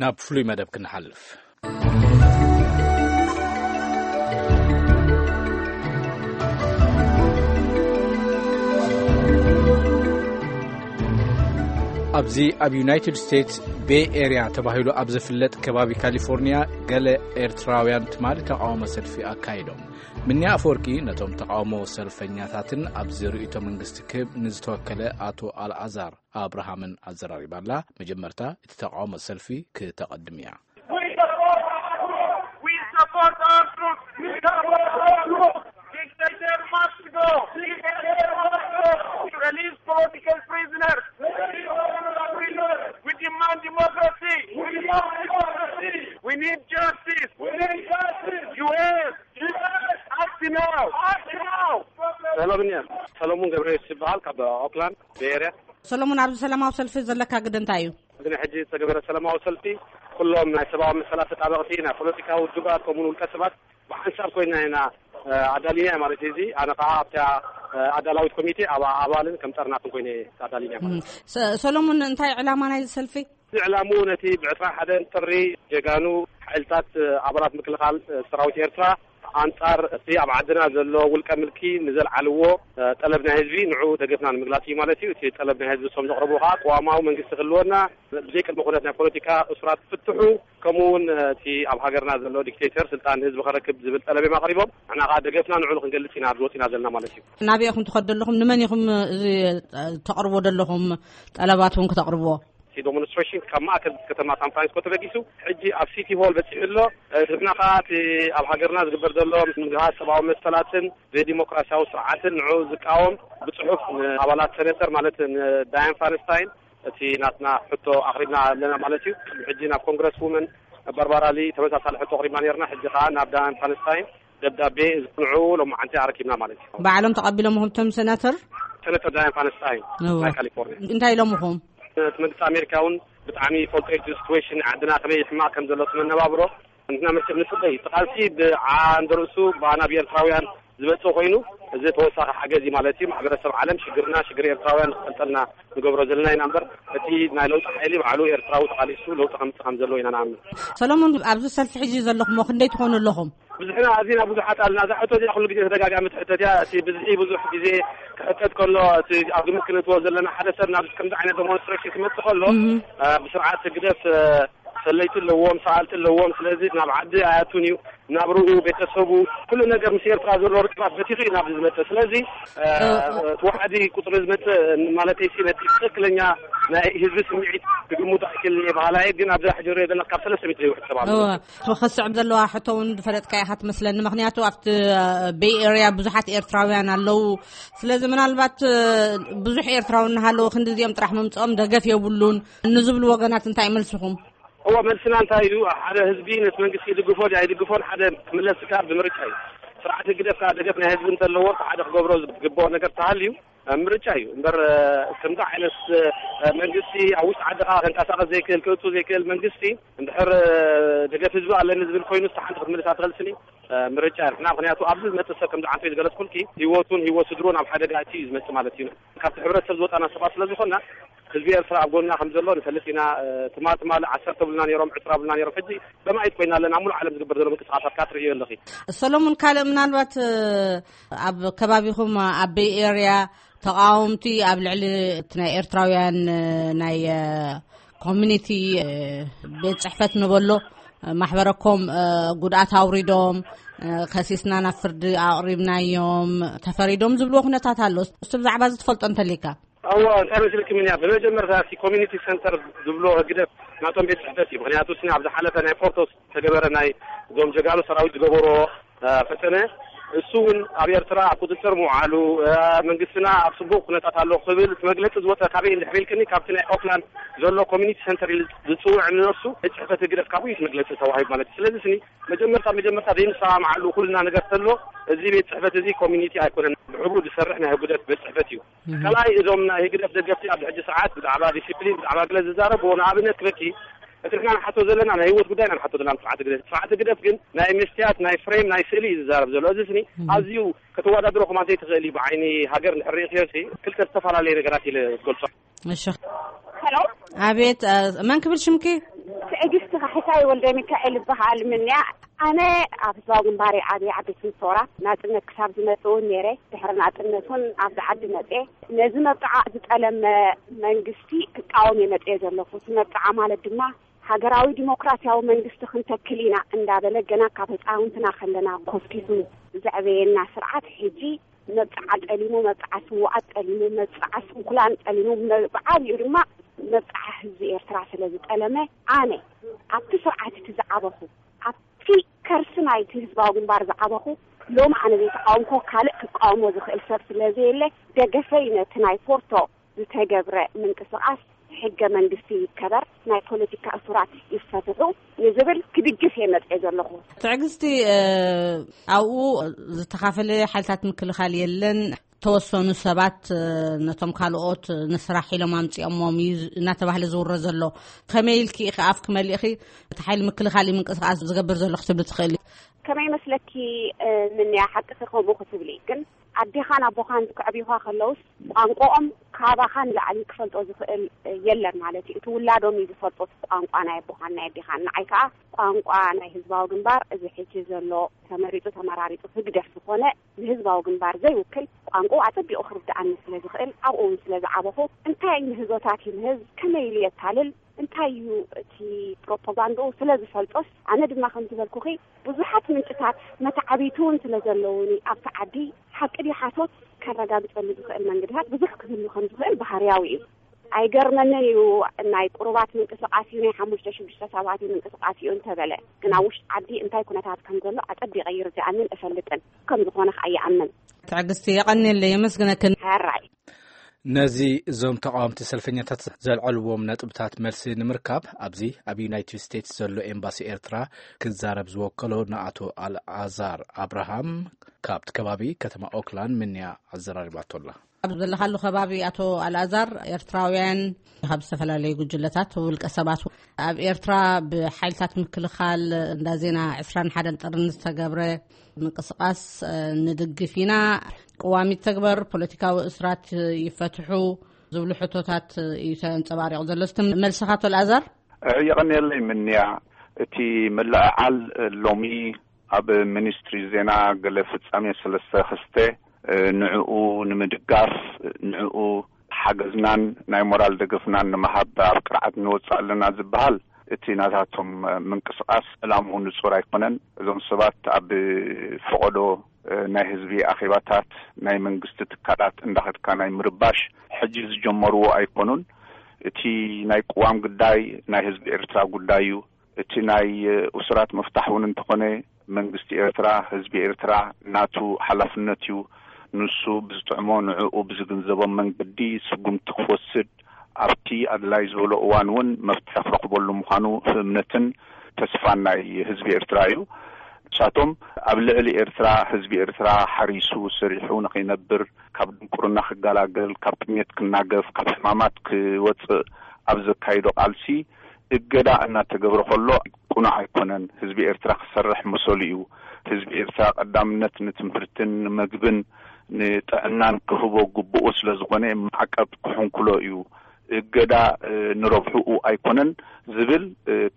ናብ ፍሉይ መደብ ክንሓልፍ። ኣብዚ ኣብ ዩናይትድ ስቴትስ ቤይ ኤርያ ተባሂሉ ኣብ ዝፍለጥ ከባቢ ካሊፎርኒያ፣ ገለ ኤርትራውያን ትማሊ ተቃውሞ ሰልፊ ኣካይዶም። ምንያ ኣፈወርቂ ነቶም ተቃውሞ ሰልፈኛታትን ኣብዚ ርእይቶ መንግስቲ ክህብ ንዝተወከለ ኣቶ ኣልኣዛር ኣብርሃምን ኣዘራሪባላ። መጀመርታ እቲ ተቃውሞ ሰልፊ ክተቐድም እያ። We support our troops. We support our troops. Dictator must go. Dictator must go. Release political prisoners. Release political prisoners. We demand democracy. We demand democracy. We need justice. We need justice. U S, U S, act now. Act now. ሰላም እያ። ሰለሙን ገብረየሱስ ይበሃል፣ ካብ ኦክላንድ ቤይ ኤርያ። ሰለሙን፣ ኣብዚ ሰላማዊ ሰልፊ ዘለካ ግደ እንታይ እዩ? እዚ ናይ ሕጂ ዝተገበረ ሰላማዊ ሰልፊ፣ ኩሎም ናይ ሰብኣዊ መሰላት ተጣበቕቲ፣ ናይ ፖለቲካዊ ውድባት፣ ከምኡውን ውልቀ ሰባት ብሓንሳብ ኮይና ኢና፣ እ፣ ኣዳሊና ማለት እዩ። እዚ ኣነ ከዓ ኣብታ፣ እ፣ ኣዳላዊት ኮሚቴ ኣብ ኣባልን ከም ጠርናፍን ኮይነ ኣዳሊና ማለት እዩ። ሰ-፣ ሰሎሙን፣ እንታይ ዕላማ ናይዚ ሰልፊ? እዚ ዕላምኡ ነቲ ብዕስራን ሓደን ጥሪ ጀጋኑ ሓይልታት፣ እ፣ ኣባላት ምክልኻል፣ እ፣ ሰራዊት ኤርትራ ኣንጻር እቲ ኣብ ዓድና ዘሎ ውልቀ ምልኪ ንዘልዓልዎ፣ እ፣ ጠለብ ናይ ህዝቢ፣ ንዑ ደገፍና ንምግላጽ እዩ ማለት እዩ። እቲ ጠለብ ናይ ህዝቢ እሶም ዘቕረብዎ ከዓ ቅዋማዊ መንግስቲ ክህልወና፣ ብዘይ ቅድመ ኩነት ናይ ፖለቲካ እሱራት ፍትሑ፣ ከምኡ እውን፣ እ፣ እቲ ኣብ ሃገርና ዘሎ ዲክቴተር ስልጣን ንህዝቢ ከረክብ ዝብል ጠለብ እዮም ኣቕሪቦም። ንሕና ከዓ ደገፍና ንዑ ክንገልጽ ኢና ኣብዚ ወጺና ዘለና ማለት እዩ። ናበይ ኢኹም ትኸዱ ኣለኹም? ንመን ኢኹም እዚ፣ እ፣ ተቕርቦ ዘለኹም ጠለባት እውን ክተቕርብዎ? እቲ ዶሞንስትሬሽን ካብ ማእከል ከተማ ሳን ፍራንሲስኮ ተበጊሱ ሕጂ ኣብ ሲቲ ሆል በጺሑ ኣሎ። እ፣ ንሕና ከኣ እቲ ኣብ ሃገርና ዝግበር ዘሎ ምግሃስ ሰብኣዊ መሰላትን ዘይዲሞክራሲያዊ ስርዓትን ንዕኡ ዝቃወም ብጽሑፍ ንኣባላት ሰነተር ማለት ንዳያን ፋንስታይን እቲ ናትና ሕቶ ኣቕሪብና ኣለና ማለት እዩ። ሕጂ ናብ ኮንግረስ ውመን ባርባራ ሊ ተመሳሳሊ ሕቶ ኣቕሪብና ነርና። ሕጂ ከኣ ናብ ዳያን ፋንስታይን ደብዳቤ ንዕኡ ሎማዓንቲ ኣረኪብና ማለት እዩ። ባዕሎም ተቐቢሎምኹም እቶም ሰነተር? ሰነተር ዳያን ፋንስታይን እወ። ናይ ካሊፎርኒያ። እንታይ ኢሎምኹም? እቲ መንግስቲ ኣሜሪካ እውን ብጣዕሚ ይፈልጦ እዩ እቲ ሲትዌሽን ዓድና ከመይ ሕማቕ ከም ዘሎ እቲ መነባብሮ። ንሕና መቸም ንጽበይ። እቲ ቃልሲ ብዓንደ ርእሱ ብኣና ብኤርትራውያን ዝመጽእ ኮይኑ፣ እዚ ተወሳኺ ሓገዝ እዩ ማለት እዩ። ማሕበረሰብ ዓለም ሽግርና ሽግር ኤርትራውያን ክፈልጠልና ንገብሮ ዘለና ኢና እምበር፣ እቲ ናይ ለውጢ ሓይሊ ባዕሉ ኤርትራዊ ተቓሊሱ ለውጢ ከምጽእ ከም ዘለዎ ኢና ንኣምን። ሰሎሞን፣ ኣብዚ ሰልፊ ሕጂ ዘለኹም ክንደይ ትኾኑ ኣለኹም? ብዝሕና ኣዚና ብዙሓት ኣለና። እዛ ሕቶ እዚኣ ኩሉ ግዜ ተደጋጋሚ ትሕተት እያ። እቲ ብዝሒ ብዙሕ ግዜ ክሕተት ከሎ፣ እቲ ኣብ ግምት ክንእትዎ ዘለና፣ ሓደ ሰብ ናብ ከምዚ ዓይነት ዴሞንስትሬሽን ክመጽእ ከሎ፣ እህ። አ፣ ብስርዓት ህግደፍ፣ አ፣ ሰለይቲ ኣለዎም፣ ሰኣልቲ ኣለዎም። ስለዚ ናብ ዓዲ ኣያቱን እዩ፣ ናብርኡ፣ ቤተሰቡ፣ ኩሉ ነገር ምስ ኤርትራ ዘሎ ርክባት በቲኹ እዩ ናብዚ ዝመጽእ። ስለዚ፣ አ፣ እ፣ እ። እቲ ዋሕዲ ቁጽሪ ዝመጽእ ማለተይ ሲ ነቲ ትኽክለኛ ናይ ህዝቢ ስምዒት ክግምቱ ኣይክእልን እየ በሃላይ፣ ግን ኣብዚ ሕጂ ንሪኦ ዘለና ካብ ሰለስተ ሚእቲ ዘይውሕድ ሰብ ኣሎ። እወ። ክስዕብ ዘለዋ ሕቶ እውን ዝፈለጥካ ኢኻ ትመስለኒ። ምኽንያቱ ኣብቲ፣ እ፣ ቤይ ኤርያ ብዙሓት ኤርትራውያን ኣለዉ። ስለዚ ምናልባት፣ እ፣ ብዙሕ ኤርትራዊ እናሃለዉ ክንዲ እዚኦም ጥራሕ ምምጽኦም ደገፍ የብሉን ንዝብሉ ወገናት እንታይ መልስኹም? እወ፣ መልስና እንታይ እዩ? ሓደ ህዝቢ ነቲ መንግስቲ ይድግፎ ድዩ ኣይድግፎን ሓደ ክምለስ ዝከኣል ብምርጫ እዩ። ስርዓት ህግደፍ ከዓ ደገፍ ናይ ህዝቢ እንተለዎ፣ እቲ ሓደ ክገብሮ ዝግብኦ ነገር ተሃልዩ፣ እ፣ ምርጫ እዩ። እምበር፣ እ፣ ከምዚ ዓይነት፣ እ፣ መንግስቲ ኣብ ውሽጢ ዓዲ ከዓ ከንቀሳቐስ ዘይክእል፣ ክእቱ ዘይክእል መንግስቲ፣ እንድሕር፣ እ፣ ደገፍ ህዝቢ ኣለኒ ዝብል ኮይኑ፣ ንሳ ሓንቲ ክትምልስ ኣይትኽእልስን እዩ። እ፣ ምርጫ እዩ። ንሕና ምኽንያቱ ኣብዚ ዝመጽእ ሰብ ከምዚ ዓንተይ ዝገለጽኩልኪ፣ ህይወቱን ህይወት ስድሩን ኣብ ሓደጋ ኣእትዩ እዩ ዝመጽእ ማለት እዩ። ካብቲ ሕብረተሰብ ዝወጻና ሰባት ስለ ዝኾንና፣ ህዝቢ ኤርትራ ኣብ ጎንና ከም ዘሎ ንፈልጥ ኢና። እ፣ ትማ-፣ ትማሊ ዓሰርተ ብሉና ነይሮም፣ ዕስራ ብሉና ነይሮም። ሕጂ በማይት ኮይና ኣለና። ኣብ ሙሉእ ዓለም ዝግበር ዘሎ ምንቅስቃሳት ካትርእዮ ኣለኺ። ሰሎሙን፣ ካልእ ምናልባት፣ እ፣ ኣብ ከባቢኹም ኣብ ቤይ ኤርያ ተቃወምቲ ኣብ ልዕሊ እቲ ናይ ኤርትራውያን፣ እ፣ ናይ፣ እ፣ ኮሚኒቲ፣ እ፣ ቤት ጽሕፈት ንበሎ፣ እ፣ ማሕበረኮም፣ እ፣ ጉድኣት ኣውሪዶም፣ እ፣ ከሲስና ናብ ፍርዲ ኣቕሪብናዮም፣ ተፈሪዶም ዝብልዎ ኩነታት ኣሎ። እስቲ ብዛዕባ እዚ ትፈልጦ እንተሊካ? እወ፣ እንታይ መሲልክምንያ? ብመጀመርታ እቲ ኮሚኒቲ ሰንተር ዝብሎ ህግደፍ ናቶም ቤት ጽሕፈት እዩ። ምኽንያቱ፣ እስኒ ኣብ ዝሓለፈ ናይ ፖርቶስ ዝተገበረ ናይ እዞም ጀጋኑ ሰራዊት ዝገበሮ፣ እ፣ ፈተነ፣ እሱ እውን ኣብ ኤርትራ ኣብ ቁጽጽር ምውዓሉ፣ እ፣ መንግስትና ኣብ ጽቡቕ ኩነታት ኣሎ ክብል እቲ መግለጺ ዝወጸ ካበይ እንድሕር ኢልክኒ፣ ካብቲ ናይ ኦክላንድ ዘሎ ኮሚኒቲ ሰንተር ኢሉ ዝጽውዕ ንነፍሱ ቤት ጽሕፈት ህግደፍ ካብኡ እዩ እቲ መግለጺ ተዋሂቡ ማለት እዩ። ስለዚ፣ እስኒ መጀመርታ፣ መጀመርታ ዘይንሰማምዓሉ ኩልና ነገር ተሎ፣ እዚ ቤት ጽሕፈት እዚ ኮሚኒቲ ኣይኮነን፣ ብሕቡእ ዝሰርሕ ናይ ህግደፍ ቤት ጽሕፈት እዩ። እህ። ካልኣይ፣ እዞም ናይ ህግደፍ ደገፍቲ ኣብዚ ሕጂ ሰዓት ብዛዕባ ዲሲፕሊን፣ ብዛዕባ ገለ ዝዛረብዎ፣ ንኣብነት ክበኪ፣ እቲ ንሕና ንሓቶ ዘለና ናይ ህይወት ጉዳይ ኢና ንሓቶ ዘለና፣ ስርዓት ህግደፍ። ስርዓት ህግደፍ ግን ናይ መስትያት፣ ናይ ፍሬም፣ ናይ ስእሊ እዩ ዝዛረብ ዘሎ። እዚ ስኒ እህ። ኣዝዩ ከተወዳድሮ ከማን ዘይትኽእል እዩ። ብዓይኒ ሃገር እንድሕር ርእኽዮ ሲ፣ ክልተ ዝተፈላለየ ነገራት ኢለ ዝገልጾ። እሺ። ሄሎ። ኣቤት፣ እ፣ መን ክብል ሽምኪ? ትዕግስቲ መሳይ ወልደ ሚካኤል ይበሃል። ምንያ ኣነ ኣብ ህዝባዊ ግንባር ዓብየ ዓበይቲ ምሰውራ ናጽነት ክሳብ ዝመጽእ እውን ነይረ። ድሕሪ ናጽነት እውን ኣብዚ ዓዲ መጽየ። ነዚ መብጽዓ ዝጠለመ መንግስቲ ክቃወም እየ መጽየ ዘለኹ። እቲ መብጽዓ ማለት ድማ ሃገራዊ ዲሞክራሲያዊ መንግስቲ ክንተክል ኢና እንዳበለ ገና ካብ ህፃውንትና ከለና ኮስኪሱ ዘዕበየና ስርዓት ሕጂ መብፅዓ ጠሊሙ፣ መብፅዓ ስውኣት ጠሊሙ፣ መብፅዓ ስንኩላን ጠሊሙ፣ መ- ብዓብዩ ድማ መብፅዓ ህዝቢ ኤርትራ ስለ ዝጠለመ ኣነ ኣብቲ ስርዓት እቲ ዝዓበኹ ኣብቲ ከርሲ ናይቲ ህዝባዊ ግንባር ዝዓበኹ ሎም ኣነ ዘይተቃወምኮ ካልእ ክቃወሞ ዝኽእል ሰብ ስለ ዘየለ ደገፈይ ነቲ ናይ ፖርቶ ዝተገብረ ምንቅስቃስ ሕገ መንግስቲ ይከበር፣ ናይ ፖለቲካ እሱራት ይፈትሑ ንዝብል ክድግፍ እየ መፅኤ ዘለኹ። ትዕግስቲ ኣብኡ ዝተኻፈለ ሓይልታት ምክልኻል የለን። ተወሰኑ ሰባት ነቶም ካልኦት ንስራሕ ኢሎም ኣምፅኦሞም እዩ እናተባህለ ዝውረ ዘሎ። ከመይ ኢልኪ ኢኺ ኣፍ ክመሊእኺ እቲ ሓይሊ ምክልኻል እዩ ምንቅስቃስ ዝገብር ዘሎ ክትብሊ ትኽእሊ? ከመይ መስለኪ? ምንያ ሓቂ ከምኡ ክትብሊ ግን ኣዴኻን ኣቦኻን ክዕብዩኻ ከለውስ ቋንቋኦም ካባኻ ንላዕሊ ክፈልጦ ዝኽእል የለን ማለት እዩ። እቲ ውላዶም እዩ ዝፈልጦ እቲ ቋንቋ ናይ ኣቦኻን ናይ ኣዴኻን። ንዓይ ከዓ ቋንቋ ናይ ህዝባዊ ግንባር እዚ ሕጂ ዘሎ ተመሪፁ ተመራሪፁ ህግደፍ ዝኾነ ንህዝባዊ ግንባር ዘይውክል ቋንቋ ኣፀቢቑ ክርድኣኒ ስለ ዝኽእል ኣብኡ እውን ስለ ዝዓበኹ እንታይ ምህዞታት ይምህዝ ከመይ ኢሉ የታልል እንታይ እዩ እቲ ፕሮፓጋንዳኡ ስለ ዝፈልጦስ ኣነ ድማ ከም ዝበልኩኺ ብዙሓት ምንጭታት መተዓብይቲ እውን ስለ ዘለውኒ ኣብቲ ዓዲ ሓቂ ድዩ ሓሶት ከረጋግፀሉ ዝኽእል መንገድታት ብዙሕ ክህሉ ከም ዝኽእል ባህርያዊ እዩ። ኣይገርመንን እዩ። ናይ ቁሩባት ምንቅስቃስ እዩ ናይ ሓሙሽተ ሽዱሽተ ሰባት እዩ ምንቅስቃስ እዩ እንተበለ ግን ኣብ ውሽጢ ዓዲ እንታይ ኩነታት ከም ዘሎ ኣፀቢቐ ይርድኣንን እፈልጥን ከም ዝኾነ ከዓ ይኣምን። ትዕግስቲ የቐንየለይ የመስግነክን። ሕራይ። ነዚ እዞም ተቃወምቲ ሰልፈኛታት ዘልዐልዎም ነጥብታት መልሲ ንምርካብ ኣብዚ ኣብ ዩናይትድ ስቴትስ ዘሎ ኤምባሲ ኤርትራ ክዛረብ ዝወከሎ ንኣቶ ኣልዓዛር ኣብርሃም ካብቲ ከባቢ ከተማ ኦክላንድ ምንያ ኣዘራሪባቶ ኣላ። ኣብ ዘለኻሉ ከባቢ ኣቶ ኣልኣዛር ኤርትራውያን ካብ ዝተፈላለዩ ጉጅለታት ውልቀ ሰባት ኣብ ኤርትራ ብሓይልታት ምክልኻል እንዳ ዜና ዕስራን ሓደን ጥርን ዝተገብረ ምንቅስቃስ ንድግፍ ኢና፣ ቅዋም ይተግበር፣ ፖለቲካዊ እስራት ይፈትሑ ዝብሉ ሕቶታት እዩ ተንጸባሪቑ ዘሎ። እስቲ መልስኻ ኣቶ ኣልኣዛር? የቐንየለይ ምንያ። እቲ ምልዕዓል ሎሚ ኣብ ሚኒስትሪ ዜና ገለ ፍጻሜ ሰለስተ ክስተ ንዕኡ ንምድጋፍ ንዕኡ ሓገዝናን ናይ ሞራል ደገፍናን ንምሃብ ኣብ ቅርዓት ንወፅእ ኣለና ዝበሃል እቲ ናታቶም ምንቅስቃስ ዕላምኡ ንፁር ኣይኮነን። እዞም ሰባት ኣብ ፈቐዶ ናይ ህዝቢ ኣኼባታት ናይ መንግስቲ ትካላት እንዳኸድካ ናይ ምርባሽ ሕጂ ዝጀመርዎ ኣይኮኑን። እቲ ናይ ቅዋም ጉዳይ ናይ ህዝቢ ኤርትራ ጉዳይ እዩ። እቲ ናይ እሱራት ምፍታሕ እውን እንተኾነ መንግስቲ ኤርትራ ህዝቢ ኤርትራ ናቱ ሓላፍነት እዩ። ንሱ ብዝጥዕሞ ንዕኡ ብዝግንዘቦም መንገዲ ስጉምቲ ክወስድ ኣብቲ ኣድላይ ዝበሎ እዋን እውን መፍትሒ ክረኽበሉ ምዃኑ እምነትን ተስፋን ናይ ህዝቢ ኤርትራ እዩ። ንሳቶም ኣብ ልዕሊ ኤርትራ ህዝቢ ኤርትራ ሓሪሱ ሰሪሑ ንኸይነብር ካብ ድንቁርና ክገላገል ካብ ጥሜት ክናገፍ ካብ ሕማማት ክወፅእ ኣብ ዘካይዶ ቃልሲ እገዳ እናተገብረ ከሎ ቅኑዕ ኣይኮነን። ህዝቢ ኤርትራ ክሰርሕ መሰሉ እዩ። ህዝቢ ኤርትራ ቀዳምነት ንትምህርትን ንመግብን ንጥዕናን ክህቦ ግቡኡ ስለ ዝኾነ ማዕቀብ ክሕንኩሎ እዩ። እገዳ ንረብሕኡ ኣይኮነን ዝብል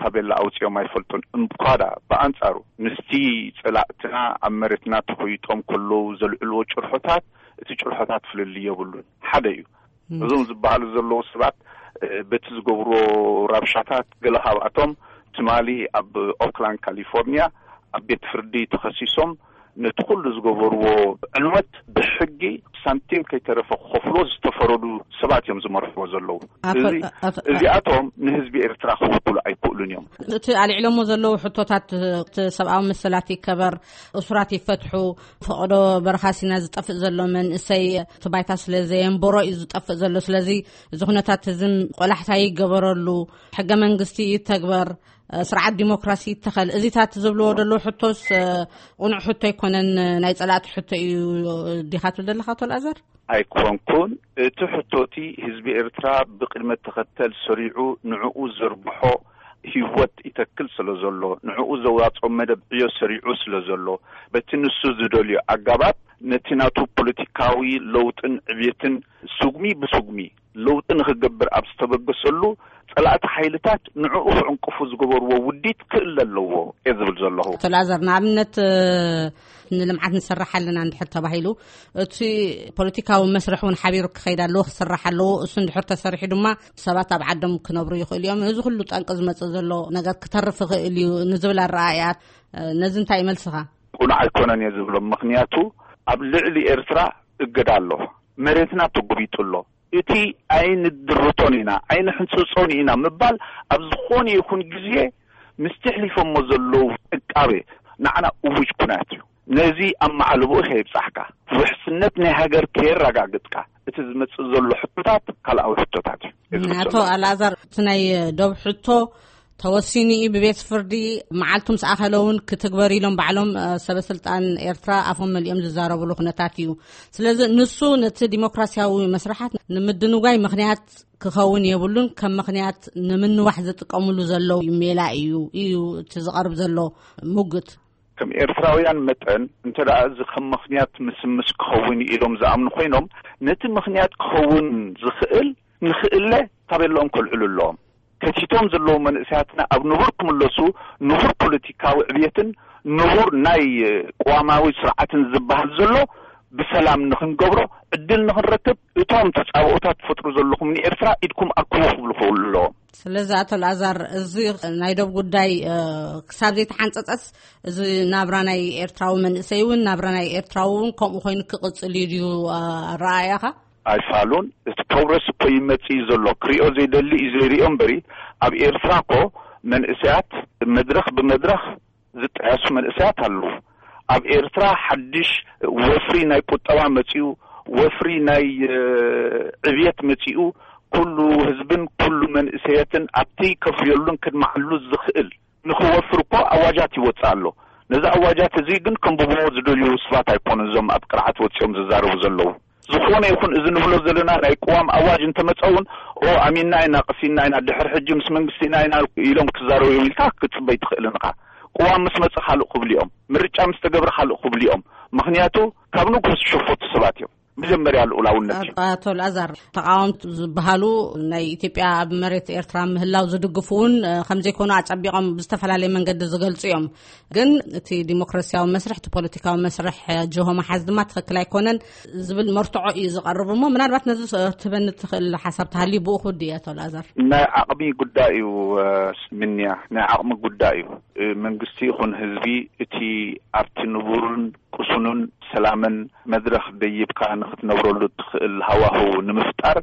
ታቤላ ኣውፂኦም ኣይፈልጡን። እምኳዳ ብኣንፃሩ ምስቲ ፀላእትና ኣብ መሬትና ተኾይጦም ከለዉ ዘልዕልዎ ጭርሖታት እቲ ጭርሖታት ፍልልይ የብሉን። ሓደ እዩ። እዞም ዝበሃሉ ዘለዉ ሰባት በቲ ዝገብርዎ ራብሻታት ገለ ካብኣቶም ትማሊ ኣብ ኦክላንድ ካሊፎርኒያ ኣብ ቤት ፍርዲ ተኸሲሶም ነቲ ኩሉ ዝገበርዎ ዕንወት ብሕጊ ሳንቲም ከይተረፈ ክኸፍሎ ዝተፈረዱ ሰባት እዮም ዝመርሕዎ ዘለዉ። እዚኣቶም ንህዝቢ ኤርትራ ክውክሉ ኣይክእሉን እዮም። እቲ ኣልዒሎሞ ዘለዉ ሕቶታት እቲ ሰብኣዊ መሰላት ይከበር፣ እሱራት ይፈትሑ፣ ፈቐዶ በረኻ ሲና ዝጠፍእ ዘሎ መንእሰይ እቲ ባይታ ስለ ዘየንበሮ እዩ ዝጠፍእ ዘሎ። ስለዚ እዚ ኩነታት እዚ ቆላሕታ ይገበረሉ፣ ሕገ መንግስቲ ይተግበር፣ ስርዓት ዲሞክራሲ ይተኸል። እዚታት ዝብልዎ ዘለዉ ሕቶስ ቅኑዕ ሕቶ ኣይኮነን፣ ናይ ጸላእቲ ሕቶ እዩ ዲኻ ትብል ዘለኻ ኣቶ ኣልኣዛር? ኣይኮንኩን። እቲ ሕቶቲ ህዝቢ ኤርትራ ብቅድመ ተኸተል ሰሪዑ ንዕኡ ዘርብሖ ህይወት ይተክል ስለ ዘሎ ንዕኡ ዘዋፅኦ መደብ ዕዮ ሰሪዑ ስለ ዘሎ በቲ ንሱ ዝደልዮ ኣጋባብ ነቲ ናቱ ፖለቲካዊ ለውጥን ዕብየትን ስጉሚ ብስጉሚ ለውጢ ንክገብር ኣብ ዝተበገሰሉ ፀላእቲ ሓይልታት ንዕኡ ክዕንቅፉ ዝገበርዎ ውዲት ክእለ ኣለዎ እየ ዝብል ዘለኹ። ኣቶ ላዛር፣ ንኣብነት ንልምዓት ንሰርሕ ኣለና እንድሕር ተባሂሉ፣ እቲ ፖለቲካዊ መስርሕ እውን ሓቢሩ ክኸይድ ኣለዎ፣ ክስራሕ ኣለዎ። እሱ እንድሕር ተሰሪሑ ድማ ሰባት ኣብ ዓዶም ክነብሩ ይኽእሉ እዮም። እዚ ኩሉ ጠንቂ ዝመጽእ ዘሎ ነገር ክተርፍ ይኽእል እዩ ንዝብል ኣረኣእያ፣ ነዚ እንታይ ይመልስኻ? ቁኑዕ ኣይኮነን እየ ዝብሎ። ምኽንያቱ ኣብ ልዕሊ ኤርትራ እገዳ ኣሎ፣ መሬትና ተጎቢጡ ኣሎ። እቲ ኣይንድርቶን ኢና፣ ኣይንሕንጽጾን ኢና ምባል ኣብ ዝኾነ ይኹን ግዜ ምስቲ ኣሕሊፎሞ ዘለዉ ዕቃበ ንዓና እውጅ ኩናት እዩ። ነዚ ኣብ ማዕለቦኡ ከየብጻሕካ፣ ውሕስነት ናይ ሃገር ከየረጋግጽካ፣ እቲ ዝመጽእ ዘሎ ሕቶታት ካልኣዊ ሕቶታት እዩ። እዚ ኣቶ ዝብሎ። ኣልኣዛር፣ እቲ ናይ ዶብ ሕቶ ተወሲኑ እዩ ብቤት ፍርዲ፣ መዓልቱ ምስ ኣኸለ እውን ክትግበር ኢሎም ባዕሎም፣ እ፣ ሰበ ስልጣን ኤርትራ ኣፎም መሊኦም ዝዛረብሉ ኩነታት እዩ። ስለዚ ንሱ ነቲ ዲሞክራሲያዊ መስርሓት ንምድንጓይ ምኽንያት ክኸውን የብሉን፣ ከም ምኽንያት ንምንዋሕ ዝጥቀምሉ ዘለዉ ሜላ እዩ፣ እዩ እቲ ዝቐርብ ዘሎ ሙግት። ከም ኤርትራውያን መጠን፣ እንተ ደኣ እዚ ከም ምኽንያት ምስምስ ክኸውን ኢሎም ዝኣምኑ ኮይኖም፣ ነቲ ምኽንያት ክኸውን ዝኽእል ንኽእለ ታቤላኦም ከልዕሉ ኣለዎም። ከቲቶም ዘለዉ መንእሰያትና ኣብ ንቡር ክምለሱ፣ ንቡር ፖለቲካዊ ዕብየትን ንቡር ናይ ቅዋማዊ ስርዓትን ዝበሃል ዘሎ ብሰላም ንኽንገብሮ ዕድል ንኽንረክብ፣ እቶም ተጻብኦታት ትፈጥሩ ዘለኹም ንኤርትራ ኢድኩም ኣክቡ ክብሉ ክኽእሉ ኣለዎም። ስለዚ ኣቶ ኣልኣዛር፣ እዚ ናይ ዶብ ጉዳይ፣ እ፣ ክሳብ ዘይተሓንጸጸስ፣ እዚ ናብራ ናይ ኤርትራዊ መንእሰይ እውን፣ ናብራ ናይ ኤርትራዊ እውን ከምኡ ኮይኑ ክቕጽል እዩ ድዩ፣ እ፣ ኣረኣእያኻ? ኣይፋሉን። እቲ ፕሮግረስ እኮ ይመጽእ እዩ ዘሎ። ክሪኦ ዘይደሊ እዩ ዘይሪኦ እምበሪ፣ ኣብ ኤርትራ እኮ መንእሰያት መድረኽ ብመድረኽ ዝጠያሱ መንእሰያት ኣለዉ። ኣብ ኤርትራ ሓድሽ ወፍሪ ናይ ቁጠባ መጺኡ፣ ወፍሪ ናይ፣ እ፣ ዕብየት መጺኡ፣ ኩሉ ህዝብን ኩሉ መንእሰያትን ኣብቲ ከፍርየሉን ክድማዓሉ ዝኽእል ንኽወፍር እኮ ኣዋጃት ይወጽእ ኣሎ። ነዚ ኣዋጃት እዚ ግን ከንብብዎ ዝደልዩ ሰባት ኣይኮኑን እዞም ኣብ ቅርዓት ወጺኦም ዝዛረቡ ዘለዉ። ዝኾነ ይኹን እዚ ንብሎ ዘለና ናይ ቅዋም ኣዋጅ እንተመጸ እውን፣ ኦ፣ ኣሚንና ኢና፣ ቀሲንና ኢና፣ ድሕር ሕጂ ምስ መንግስቲ ኢና ኢና ኢሎም ክዛረቡ እዮም ኢልካ ክትጽበይ ትኽእልን ኢኻ። ቅዋም ምስ መጸ ካልእ ክብሉ እዮም፣ ምርጫ ምስ ተገብረ ካልእ ክብሉ እዮም። ምኽንያቱ ካብ ንጉስ ዝሸፈቱ ሰባት እዮም። መጀመርያ ልኡላውነት እዩ። ኣቶ ኣልኣዛር፣ ተቃወምቲ ዝበሃሉ ናይ ኢትዮጵያ ኣብ መሬት ኤርትራ ምህላው ዝድግፉ እውን፣ እ፣ ከም ዘይኮኑ ኣጸቢቖም ብዝተፈላለየ መንገዲ ዝገልጹ እዮም። ግን እቲ ዲሞክራሲያዊ መስርሕ፣ እቲ ፖለቲካዊ መስርሕ፣ እ፣ ጅሆ መሓዝ ድማ ትኽክል ኣይኮነን ዝብል መርትዖ እዩ ዝቐርብ። እሞ ምናልባት ነዚ ስ-፣ ትበኒ ትኽእል ሓሳብ ተሃልዩ ብኡ ክውድእ እየ፣ ኣቶ ኣልኣዛር። ናይ ዓቕሚ ጉዳይ እዩ፣ እ፣ ምንያ፣ ናይ ዓቕሚ ጉዳይ እዩ። እ፣ መንግስቲ ይኹን ህዝቢ እቲ ኣብቲ ንቡርን ቅሱንን ሰላምን መድረኽ ደይብካ ንኽትነብረሉ እትኽእል ሃዋህው ንምፍጣር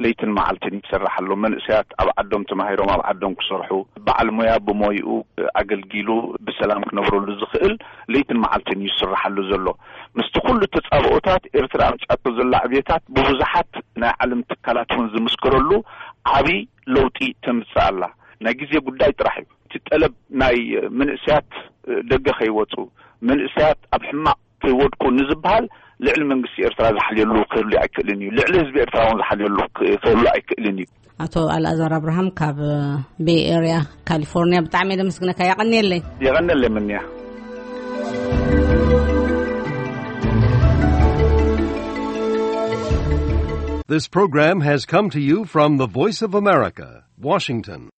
ለይትን መዓልትን ይሰርሕ ኣሎ። መንእሰያት ኣብ ዓዶም ተማሂሮም ኣብ ዓዶም ክሰርሑ፣ በዓል ሞያ ብሞይኡ ኣገልጊሉ ብሰላም ክነብረሉ ዝኽእል ለይትን መዓልትን እዩ ዝስርሓሉ ዘሎ። ምስቲ ኩሉ ተጻብኦታት ኤርትራ ኣምጺኣቶ ዘላ ዕብየታት ብብዙሓት ናይ ዓለም ትካላት እውን ዝምስክረሉ ዓቢ ለውጢ ተምጽእ ኣላ። ናይ ግዜ ጉዳይ ጥራሕ እዩ። እቲ ጠለብ ናይ መንእሰያት ደገ ከይወጹ፣ መንእሰያት ኣብ ሕማቕ ከይወድቁ ንዝበሃል ልዕሊ መንግስቲ ኤርትራ ዝሓልየሉ ክህሉ ኣይክእልን እዩ። ልዕሊ ህዝቢ ኤርትራ እውን ዝሓልየሉ ክ-፣ ክህሉ ኣይክእልን እዩ። ኣቶ ኣልኣዛር ኣብርሃም ካብ ቤይ ኤርያ ካሊፎርኒያ ብጣዕሚ እየ ዘመስግነካ። የቐንየለይ። የቐንየለይ ምንያ። This program has come to you from the Voice of America, Washington.